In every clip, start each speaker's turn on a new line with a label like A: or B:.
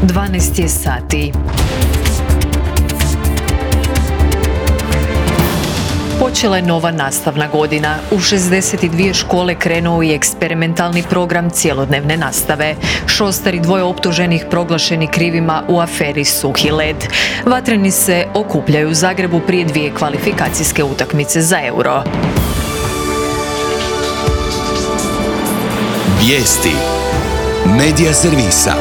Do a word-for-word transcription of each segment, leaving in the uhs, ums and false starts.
A: dvanaest je sati. Počela je nova nastavna godina. U šezdeset dvije škole krenuo je eksperimentalni program cjelodnevne nastave. Šostar i dvoje optuženih proglašeni krivima u aferi Suhi led. Vatreni se okupljaju u Zagrebu prije dvije kvalifikacijske utakmice za Euro.
B: Vijesti Medija servisa.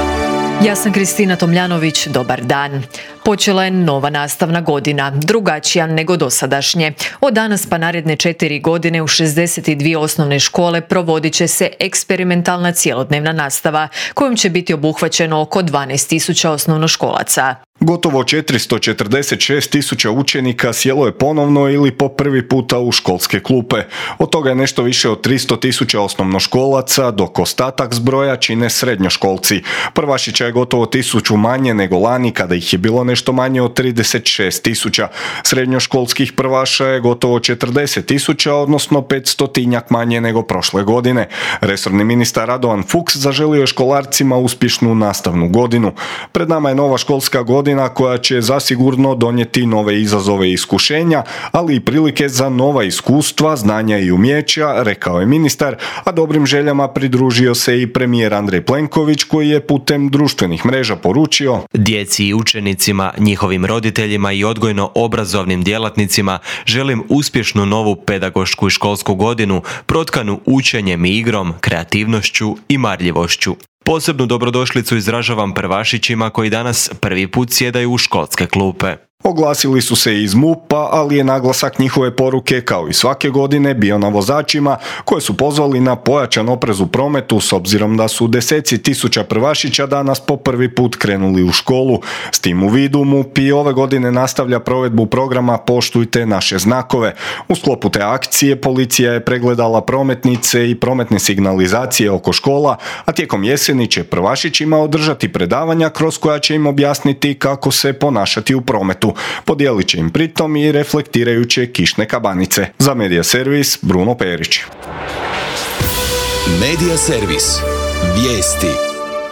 A: Ja sam Kristina Tomljanović, dobar dan. Počela je nova nastavna godina, drugačija nego dosadašnje. Od danas pa naredne četiri godine u šezdeset dvije osnovne škole provodit će se eksperimentalna cjelodnevna nastava, kojom će biti obuhvaćeno oko dvanaest tisuća osnovnoškolaca.
C: Gotovo četiristo četrdeset šest tisuća učenika sjelo je ponovno ili po prvi puta u školske klupe. Od toga je nešto više od tristo tisuća osnovnoškolaca, dok ostatak zbroja čine srednjoškolci. Prvašića je gotovo tisuću manje nego lani kada ih je bilo nešto manje od trideset šest tisuća. Srednjoškolskih prvaša je gotovo četrdeset tisuća, odnosno petstotinjak manje nego prošle godine. Resorni ministar Radovan Fuchs zaželio je školarcima uspješnu nastavnu godinu. Pred nama je nova školska godina koja će zasigurno donijeti nove izazove i iskušenja, ali i prilike za nova iskustva, znanja i umjeća, rekao je ministar, a dobrim željama pridružio se i premijer Andrej Plenković koji je putem društvenih mreža poručio:
D: djeci i učenicima, njihovim roditeljima i odgojno-obrazovnim djelatnicima želim uspješnu novu pedagošku i školsku godinu protkanu učenjem i igrom, kreativnošću i marljivošću. Posebnu dobrodošlicu izražavam prvašićima koji danas prvi put sjedaju u školske klupe.
C: Oglasili su se iz MUP-a, ali je naglasak njihove poruke, kao i svake godine, bio na vozačima koje su pozvali na pojačan oprez u prometu s obzirom da su deseci tisuća prvašića danas po prvi put krenuli u školu. S tim u vidu MUP i ove godine nastavlja provedbu programa Poštujte naše znakove. U sklopu te akcije policija je pregledala prometnice i prometne signalizacije oko škola, a tijekom jeseni će prvašićima održati predavanja kroz koja će im objasniti kako se ponašati u prometu. Podijelit će im pritom i reflektirajuće kišne kabanice. Za Medija servis, Bruno Perić.
B: Medija servis. Vijesti.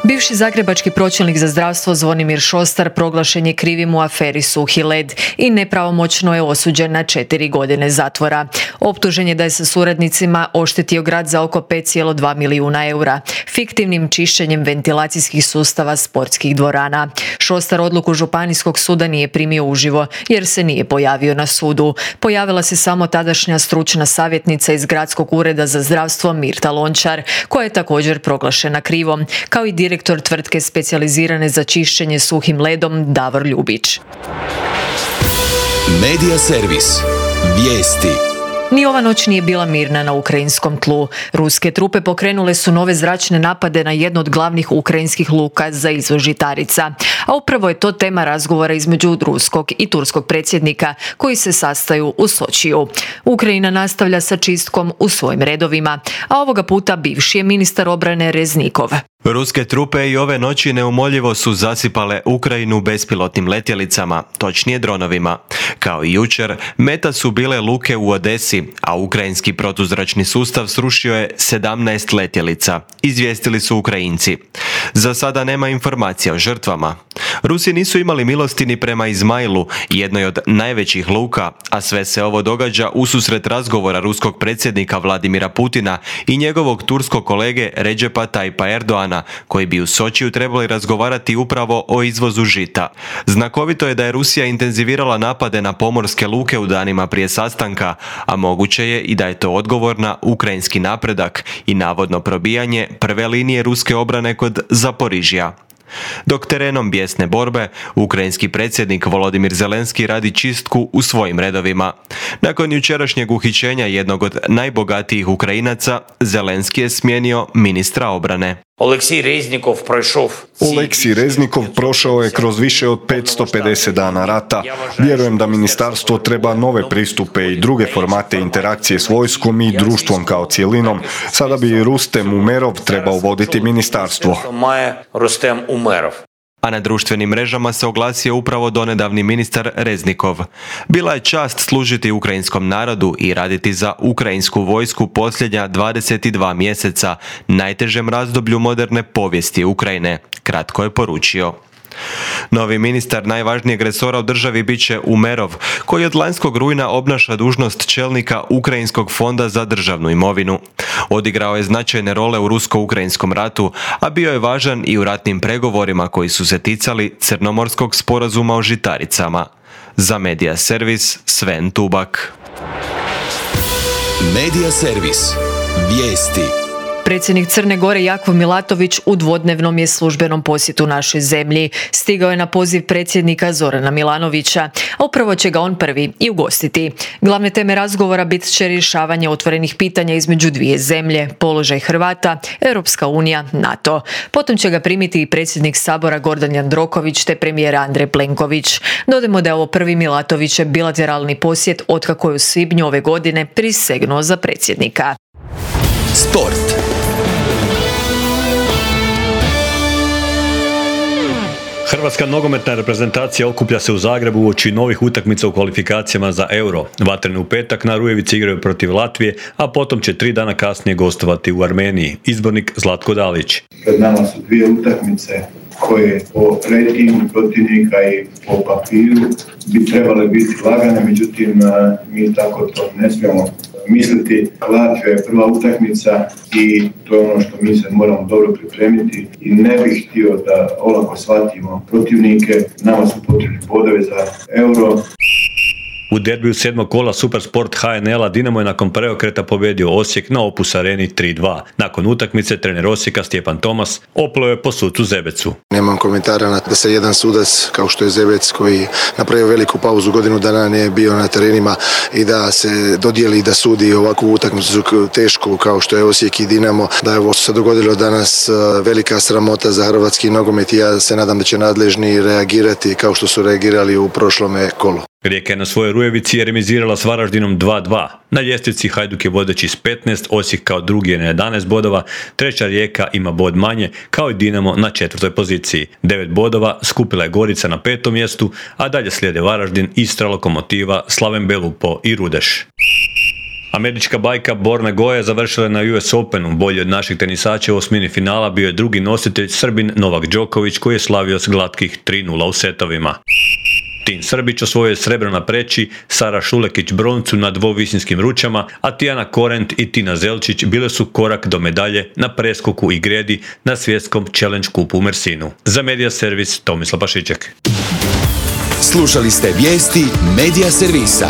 A: Bivši zagrebački pročelnik za zdravstvo Zvonimir Šostar proglašen je krivim u aferi Suhi led i nepravomoćno je osuđen na četiri godine zatvora. Optužen je da je sa suradnicima oštetio grad za oko pet zarez dva milijuna eura, fiktivnim čišćenjem ventilacijskih sustava sportskih dvorana. Šostar odluku Županijskog suda nije primio uživo jer se nije pojavio na sudu. Pojavila se samo tadašnja stručna savjetnica iz Gradskog ureda za zdravstvo Mirta Lončar, koja je također proglašena krivom, kao i direktor direktor tvrtke specijalizirane za čišćenje suhim ledom Davor Ljubić.
B: Medija servis. Vijesti.
A: Ni ova noć nije bila mirna na ukrajinskom tlu. Ruske trupe pokrenule su nove zračne napade na jednu od glavnih ukrajinskih luka za izvoz žitarica. A upravo je to tema razgovora između ruskog i turskog predsjednika koji se sastaju u Sočiju. Ukrajina nastavlja sa čistkom u svojim redovima, a ovoga puta bivši je ministar obrane Reznikov.
D: Ruske trupe i ove noći neumoljivo su zasipale Ukrajinu bespilotnim letjelicama, točnije dronovima. Kao i jučer, meta su bile luke u Odesi, a ukrajinski protuzračni sustav srušio je sedamnaest letjelica, izvijestili su Ukrajinci. Za sada nema informacija o žrtvama. Rusi nisu imali milosti ni prema Izmailu, jednoj od najvećih luka, a sve se ovo događa ususret razgovora ruskog predsjednika Vladimira Putina i njegovog turskog kolege Redžepa Tajpa Erdoana, koji bi u Sočiju trebali razgovarati upravo o izvozu žita. Znakovito je da je Rusija intenzivirala napade na pomorske luke u danima prije sastanka, a moguće je i da je to odgovor na ukrajinski napredak i navodno probijanje prve linije ruske obrane kod Zaporižja. Dok terenom bijesne borbe, ukrajinski predsjednik Volodimir Zelenski radi čistku u svojim redovima. Nakon jučerašnjeg uhićenja jednog od najbogatijih Ukrajinaca, Zelenski je smijenio ministra obrane.
E: Oleksij Reznikov prošao.
C: Oleksij Reznikov prošao je kroz više od petsto pedeset dana rata. Vjerujem da ministarstvo treba nove pristupe i druge formate interakcije s vojskom i društvom kao cjelinom. Sada bi Rustem Umerov trebao voditi ministarstvo.
E: Rustem Umerov.
D: A na društvenim mrežama se oglasio upravo donedavni ministar Reznikov. Bila je čast služiti ukrajinskom narodu i raditi za ukrajinsku vojsku posljednja dvadeset dva mjeseca, najtežem razdoblju moderne povijesti Ukrajine, kratko je poručio. Novi ministar najvažnijeg resora u državi bit će Umerov, koji od lanjskog rujna obnaša dužnost čelnika Ukrajinskog fonda za državnu imovinu. Odigrao je značajne role u rusko-ukrajinskom ratu, a bio je važan i u ratnim pregovorima koji su se ticali Crnomorskog sporazuma o žitaricama. Za Medija servis Sven Tubak.
B: Medija servis. Vijesti.
A: Predsjednik Crne Gore Jakov Milatović u dvodnevnom je službenom posjetu našoj zemlji. Stigao je na poziv predsjednika Zorana Milanovića, a upravo će ga on prvi i ugostiti. Glavne teme razgovora bit će rješavanje otvorenih pitanja između dvije zemlje, položaj Hrvata, Europska unija, NATO. Potom će ga primiti i predsjednik Sabora Gordan Jandroković te premijer Andrej Plenković. Dodajmo da je ovo prvi Milatovićev bilateralni posjet otkako je u svibnju ove godine prisegnuo za predsjednika.
B: Sport.
F: Hrvatska nogometna reprezentacija okuplja se u Zagrebu uoči novih utakmica u kvalifikacijama za Euro. Vatreni u petak na Rujevici igraju protiv Latvije, a potom će tri dana kasnije gostovati u Armeniji. Izbornik Zlatko Dalić.
G: Pred nama su dvije utakmice koje po rejtingu protivnika i po papiru bi trebale biti lagane, međutim mi tako to ne smijemo misliti. Latvija je prva utakmica i to je ono što mi se moramo dobro pripremiti i ne bih htio da olako shvatimo protivnike. Nama su potrebni bodovi za Euro.
F: U derbiju sedmog kola Supersport H N L-a Dinamo je nakon preokreta pobijedio Osijek na Opus Areni tri dva. Nakon utakmice trener Osijeka Stjepan Tomas opleo je po sucu Zebecu.
H: Nemam komentara na da se jedan sudac kao što je Zebec koji napravio veliku pauzu, godinu dana nije bio na terenima i da se dodijeli da sudi ovakvu utakmicu tešku kao što je Osijek i Dinamo, da je ovo se dogodilo danas velika sramota za hrvatski nogomet i ja se nadam da će nadležni reagirati kao što su reagirali u prošlome kolu.
F: Rijeka je na svojoj Rujevici je remizirala s Varaždinom dva dva. Na ljestvici Hajduk je vodeći s petnaest, Osijek kao drugi je na jedanaest bodova, treća Rijeka ima bod manje, kao i Dinamo na četvrtoj poziciji. devet bodova skupila je Gorica na petom mjestu, a dalje slijede Varaždin, Istra, Lokomotiva, Slaven Belupo i Rudeš. Američka bajka Borna Goja završila je na U S Openu. Bolji od naših tenisača u osmini finala bio je drugi nositelj Srbin Novak Đoković koji je slavio s glatkih tri nula u setovima. Tin Srbić osvojio je srebro na preći, Sara Šulekić broncu na dvovisinskim ručama, a Tijana Korent i Tina Zelčić bile su korak do medalje na preskoku i gredi na svjetskom Challenge kupu u Mersinu. Za Medija servis Tomislav Pašiček.
B: Slušali ste vijesti Medija servisa.